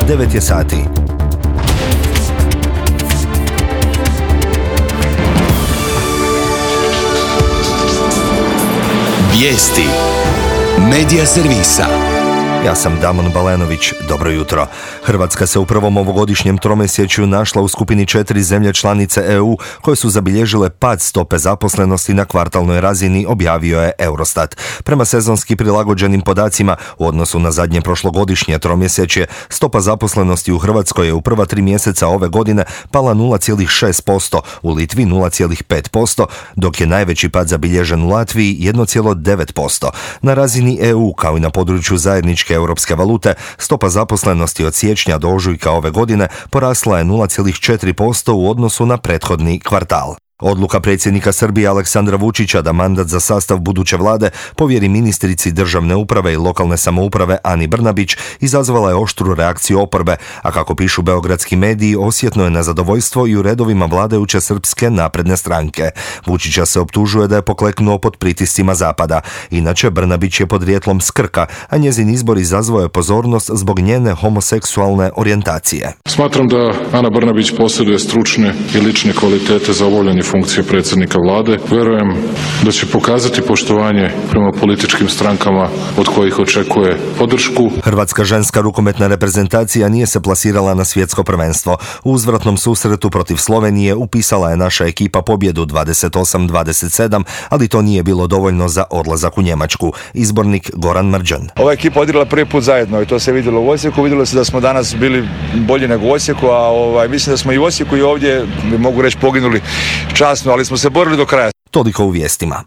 9 je sati. Vijesti Medija servisa. Ja sam Damon Balenović, dobro jutro. Hrvatska se u prvom ovogodišnjem tromjesečju našla u skupini 4 zemlje članice EU koje su zabilježile pad stope zaposlenosti na kvartalnoj razini, objavio je Eurostat. Prema sezonski prilagođenim podacima, u odnosu na zadnje prošlogodišnje tromjesečje, stopa zaposlenosti u Hrvatskoj je u prva 3 mjeseca ove godine pala 0,6%, u Litvi 0,5%, dok je najveći pad zabilježen u Latviji 1,9%. Na razini EU, kao i na području zajedničke europske valute, stopa zaposlenosti od siječnja do ožujka ove godine porasla je 0,4% u odnosu na prethodni kvartal. Odluka predsjednika Srbije Aleksandra Vučića da mandat za sastav buduće vlade povjeri ministrici državne uprave i lokalne samouprave Ani Brnabić izazvala je oštru reakciju oporbe, a kako pišu beogradski mediji, osjetno je nezadovoljstvo i u redovima vladajuće Srpske napredne stranke. Vučića se optužuje da je pokleknuo pod pritiscima zapada. Inače, Brnabić je podrijetlom s Krka, a njezin izbor izazvao je pozornost zbog njene homoseksualne orijentacije. Smatram da Ana Brnabić posjeduje stručne i lične kvalitete za obavljanje funkcije predsjednika vlade. Vjerujem da će pokazati poštovanje prema političkim strankama od kojih očekuje podršku. Hrvatska ženska rukometna reprezentacija nije se plasirala na svjetsko prvenstvo. U uzvratnom susretu protiv Slovenije upisala je naša ekipa pobjedu 28-27, ali to nije bilo dovoljno za odlazak u Njemačku. Izbornik Goran Mrđan. Ova ekipa odigrala prvi put zajedno i to se vidjelo u Osijeku. Vidjelo se da smo danas bili bolji nego u Osijeku, a mislim da smo i u Osijeku i ovdje, mogu reći, poginuli časno, ali smo se borili do kraja. Toliko u vijestima.